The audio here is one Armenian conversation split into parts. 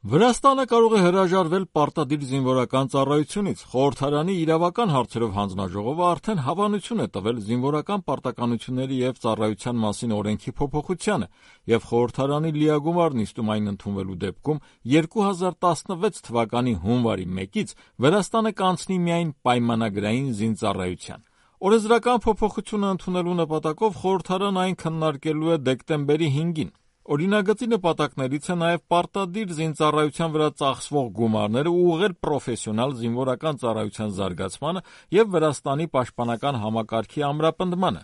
Վրաստանը կարող է հրաժարվել պարտադիր զինվորական ծառայությունից։ Խորհրդարանի իրավական հարցերով հանձնաժողովը արդեն հավանություն է տվել զինվորական պարտականությունների և ծառայության մասին օրենքի փոփոխությանը, և խորհրդարանի լիագումար նիստում այն ընդունվելու դեպքում 2016 թվականի հունվարի 1-ից Վրաստանը կանցնի միայն պայմանագրային զինծառայության։ Օրենսդրական փոփոխությունը ընդունելու նպատակով խորհրդարանը այն քննարկելու է դեկտեմբերի 5-ին։ Օրինագծի նպատակներից է նաև պարտադիր զինծառայության վրա ծախսվող գումարները ուղղել պրոֆեսիոնալ զինվորական ծառայության զարգացմանը և Վրաստանի պաշտպանական համակարգի ամրապնդմանը։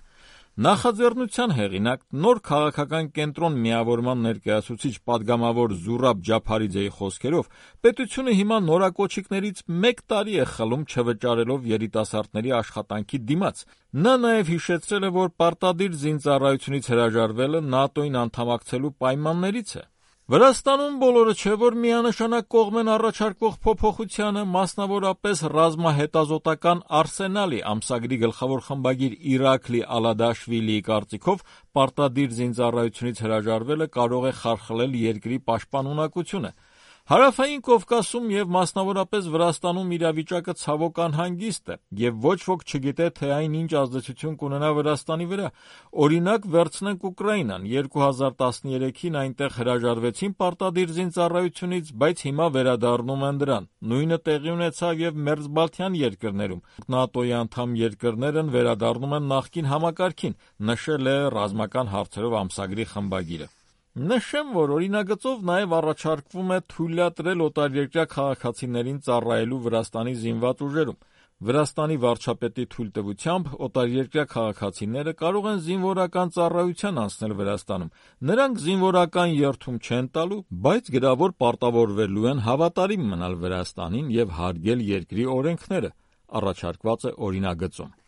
Նախաձեռնության հեղինակ, նոր քաղաքական կենտրոն միավորման ներկայացուցիչ պատգամավոր Զուրաբ Ջափարիձեի խոսքերով, պետությունը հիմա նորակոչիկներից 1 տարի է խլում չվճարելով երիտասարդների աշխատանքի դիմաց։ Նա նաև հիշեցրել է, որ պարտադիր զինծառայությունից հրաժարվելը ՆԱՏՕ-ին անդամակցելու պայմաններից է։ Վրաստանում բոլորը չէ, որ միանշանակ կողմ են առաջարկվող փոփոխությանը, մասնավորապես ռազմահետազոտական արսենալի ամսագրի գլխավոր խմբագիր Իրաքլի Ալադաշվիլիի կարծիքով պարտադիր զինծառայությունից հրաժարվելը կարող է խարխլել երկրի պաշտպանունակությունը։ Հարավային Կովկասում և մասնավորապես Վրաստանում իրավիճակը ցավոք անհանգիստ է, և ոչ ոք չգիտե, թե այն ինչ ազդեցություն կունենա Վրաստանի վրա։ Օրինակ, վերցնենք Ուկրաինան։ 2013-ին այնտեղ հրաժարվեցին պարտադիր զինծառայությունից, բայց հիմա վերադառնում են դրան։ Նույնը տեղի ունեցավ և մերձբալթյան երկրներում։ ՆԱՏՕ-ի անդամ երկրներն վերադառնում են նախկին համակարգին, նշել է ռազմական հարցերով ամսագրի խմբագիրը։ Նշեմ, որ օրինագծով նաև առաջարկվում է թույլատրել օտարերկրյա քաղաքացիներին ծառայելու Վրաստանի զինված ուժերում։ Վրաստանի վարչապետի թույլտվությամբ օտարերկրյա քաղաքացիները կարող են զինվորական ծառայության անցնել Վրաստանում։ Նրանք զինվորական երդում չեն տալու, բայց գրավոր պարտավորվելու են հավատարիմ մնալ Վրաստանին և հարգել երկրի օրենքները, առաջարկված է օրինագծում։